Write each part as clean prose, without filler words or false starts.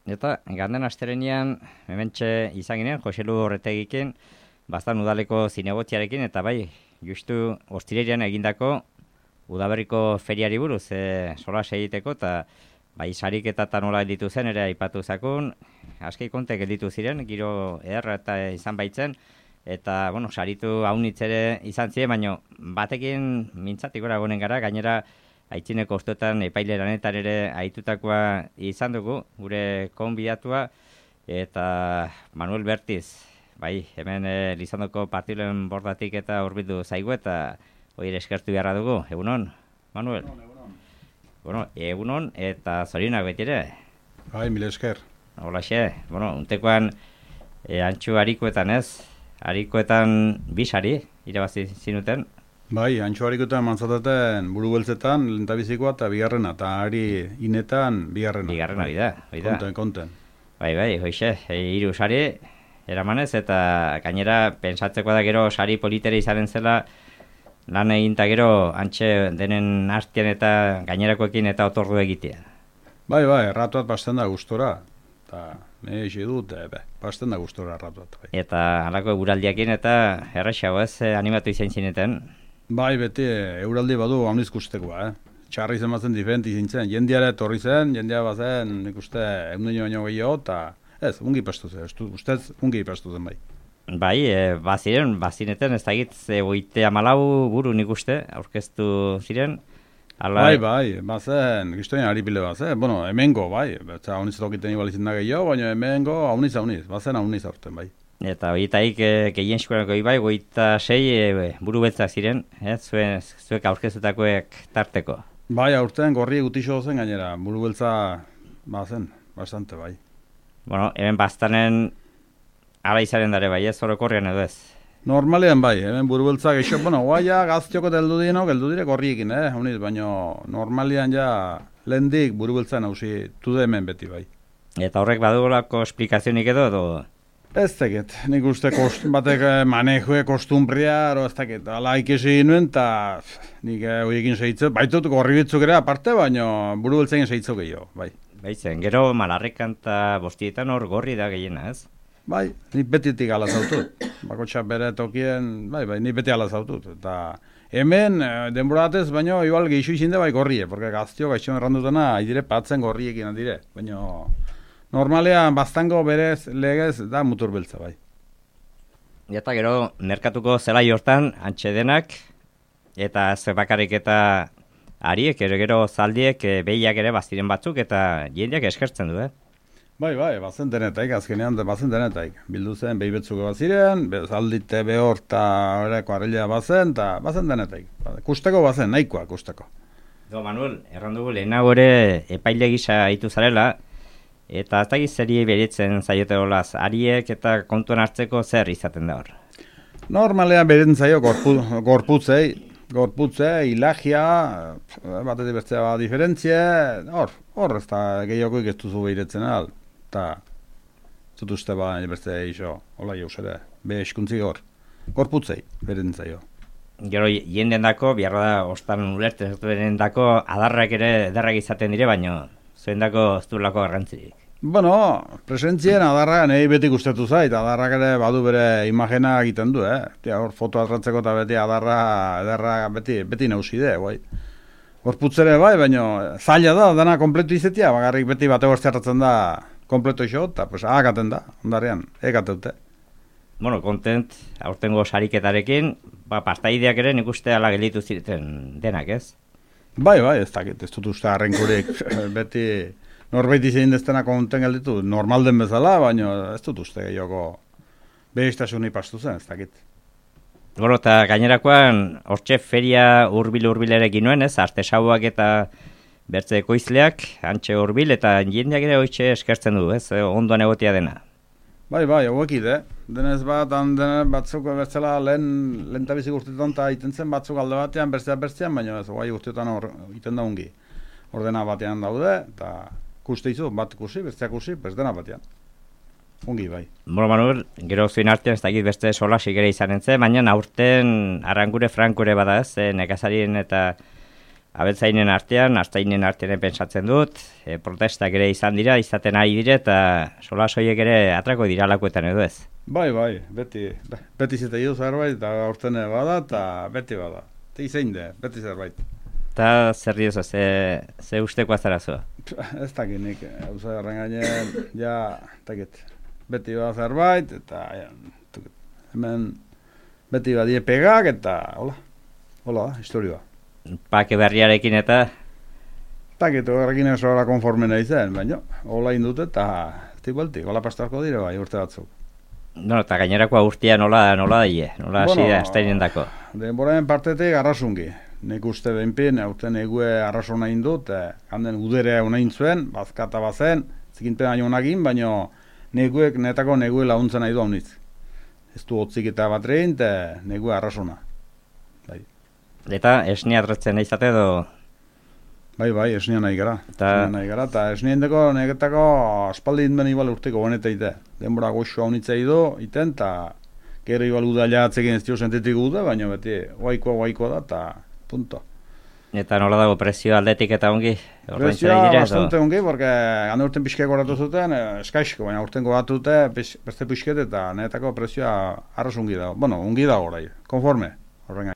Eta ganden asterenean, hementxe izan ginen, Joselu Horretegikin, bastan udaleko zinegotziarekin, eta bai, justu ostirerian egindako udaberriko feriari buruz, solas egiteko, eta bai, sarik eta nola gelditu zen, ere aipatu zakun, aski kontek gelditu ziren, giro ederra eta izan baitzen, eta, bueno, saritu haunitz ere izan ziren, baina batekin mintzatik gora gonen gara, gainera, aitzineko ostotan epaileranetan ere aitutakoa izan dugu, gure konbidatua, eta Manuel Bertiz, bai, hemen Lizondoko partilen bordatik eta hurbildu zaigu, eta hori eskertu beharra dugu, egunon, Manuel? Egunon. Bueno, egunon, eta zorionak beti ere? Bai, mila esker. Holaxe, bueno, untekoan antxu harikoetan ez, harikoetan bisari, irabazi zinuten? Bai, antxo harikoetan mantzataten buru beltzetan, lehentabizikoa eta bigarrena, eta hari inetan bigarrena. Bigarrena, oida. Konten. Bai, hoixe, hiru sari, eramanez, eta gainera pentsatzeko da gero sari politere izanen zela, lan eginta gero antxe denen artean eta gainerakoekin eta otordu egitea. Bai, erratuat basten da gustora, eta nire dut, basten da gustora erratuat. Bai. Eta halako eguraldiakin eta errexago ez, animatu izan zineten? Bai, beti euraldi badu hamliz kustekoa, Txarri zenbatzen diferenti zintzen, jendeare etorri zen, jendea bazen, nik uste, egundeño baino gehiago, eta ez, ungi pastu zen, ustez, ungi pastu zen bai. Bai, bazineten, ez da egit, 34 buru nik uste, aurkeztu ziren. Ala... Bai, bazen, gistoien ari pile bazen, bueno, hemengo, bai, betza hauniz tokiten ibalizin da gehiago, baina hemengo hauniz, bazen hauniz aurten, bai. Eta horietaik gehien eskuranako bai, 26 buru beltzak ziren, zuek aurkeztutakoek tarteko. Bai, aurten gorri gutixo zen gainera, buru beltza bazen, bastante, bai. Bueno, hemen bastanen ala izaren dare bai, ez orokorrean edo ez? Normalean bai, hemen buru beltza geixo, bueno, guaia gaztioko heldu dire gorriekin, hauniz, baina normalean ja lehendik buru beltza nausi tude hemen beti bai. Eta horrek badugolako esplikazionik edo? Ez teket, nik uste batek manejue kostumbria, ez teket, ala ikesi nuen, eta nik horiekin segitzen, baitut gorri bitzuk ere aparte, baina buru beltzen segitzuk gehiago, bai. Baitzen, gero malarrekan eta bostietan hor gorri da gehiena, ez? Bai, nik betitik ala zautut, bakotxa bere tokien, bai, nik beti ala zautut, eta hemen denboratez, baina igual geixo izinde bai gorrie, porque gaztio gaixo errandutena, haidire patzen gorriekin handire, baina... Normalean, bastango berez legez da mutur beltza, bai. Eta gero, merkatuko zelai hortan, antxe denak, eta ze bakarrik eta ariek, gero zaldiek, behiak ere baziren batzuk, eta jendeak eskertzen du, Bai, bazen denetaik, azkenean bazen denetaik. Bildu zen, behi betzuko baziren, zaldite behor eta horreko arrelea bazen, eta bazen denetaik. Kusteko bazen, nahikoa kusteko. Manuel, errandugu lehenago ere epaile gisa hitu zarela, eta ez dakiz zeri beritzen zaiote olaz, ariek eta kontuan hartzeko zer izaten da hor? Normalean beritzen zaio gorputzei, ilagia, batetik bertzea diferentzia, hor ez da gehiokoik ez duzu beritzen al, eta zut uste bertzea iso, hola jauz ere, eskuntzik gorputzei beritzen zaio. Gero jenden dako, biharra da ostan ulertzen zuten dako, adarrak ere ederrak izaten dire, baino zuen dako ez du lako garrantzirik. Bueno, presentzien adarrak nahi beti gustatu zait, adarrak ere badu bere imagena egiten du, hor foto atratzeko eta beti adarra beti nauside, bai. Gorputzere bai, baina zaila da, dana kompletu izetia, bagarrik beti bate hortzeatzen da kompleto iso, eta pues agaten da, ondarean, egateute. Bueno, kontent, aurtengo sariketarekin, pastaideak ere nik uste ala gelditu ziren denak, ez? Bai, ez dakit, ez dut uste harrenkurik, beti norbait izan deztena konten gelditu, normal den bezala, baina ez dut uste gehiago behistasuni pastu zen, ez dakit. Goro, eta gainerakoan, hortxe feria hurbil-hurbilerekin nuen, ez? Artesauak eta bertze ekoizleak, antxe hurbil, eta jendeak ere hortxe eskertzen du, ez? Ondoan egotia dena. Bai, hauekid, denez batzuk bertzela lehen tabizik urtetan eta iten zen batzuk alde batean, bertzean, baina ez, guai urtetan iten da ungi. Ordena batean daude, eta kuste izu, bat kusi, bertzea kusi, dena batean. Ungi, bai. Bueno, Manuel, gero zuen artean, ez dakit beste solasik ere izan entzen, baina aurten Arangure Frankure bada ez, nekazarien eta abeltzainen artean, astainen artean pentsatzen dut, protestak ere izan dira, izaten ari dire, eta solasoiek ere atrako dira lakuetan edo ez. Bai, beti zeta idu zerbait, eta aurten bada, eta beti bada. Eta izein de, beti zerbait. Eta zer diozu, ze usteko azarazu? Ez dakit nik, hau zerren gainen, ja, takit, beti bada zerbait, eta hemen beti badie pegak, eta hola, historioa. Pake berriarekin eta... Takit, horrekin ez horra konforme nahi zen, baina, hola indut eta tibeltik, hola pastarko dire bai, urte batzuk. No, eta gainerakoa urtia nola daie, nola hasi da, estainen dako. Denboraen partetik arrasungi. Nik uste behinpin, aurten egue arrasona indut, handen udere honain zuen, bazkata bazen, zikinten aino honagin, baina netako negue launtzen nahi du haunitz. Ez du hotzik eta bat rehin, negue arrasona. Bai. Eta esnia adretzen izate edo... Bai, esnia nahi gara. Eta esnia indeko negetako aspaldi indben ibal urteko boneta ite. Denbora goxo haunitza ido, iten, eta gero ibal udaila atzekin ez dio sentitik uda, baina beti guaikoa da, eta punto. Eta nola dago prezio aldetik eta ongi? Prezioa bastante ongi, porque gane urten pixke goratu zuten, eskaixko, baina urten goratu dute, beste pixket eta netako prezioa arroz ongi dago. Bueno, ongi dago orai, konforme, horren.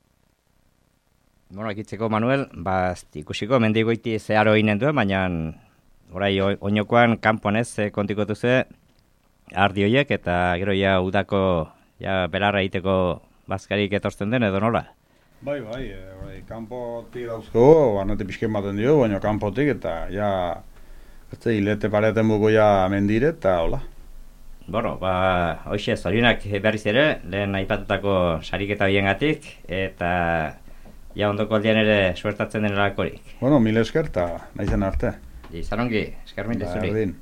Bueno, ekitzeko Manuel, ikusiko mendigoiti zeharo inen duen, baina orai oinokoan kanpoan ez kontikotu ze ardi horiek eta gero ja udako belarra egiteko bazkarik etortzen den edo nola? Bai, kanpotik dauzko, barnetik pixken baten dio, baina kanpotik eta hilete pareten buko mendire eta hola. Bueno, hoxe, zorionak berriz ere, lehen aipatutako sariketa biengatik, eta ondoko aldean ere suertatzen denelakorik. Bueno, mil esker eta nahi zen arte. Izan ongi, esker mil zuri.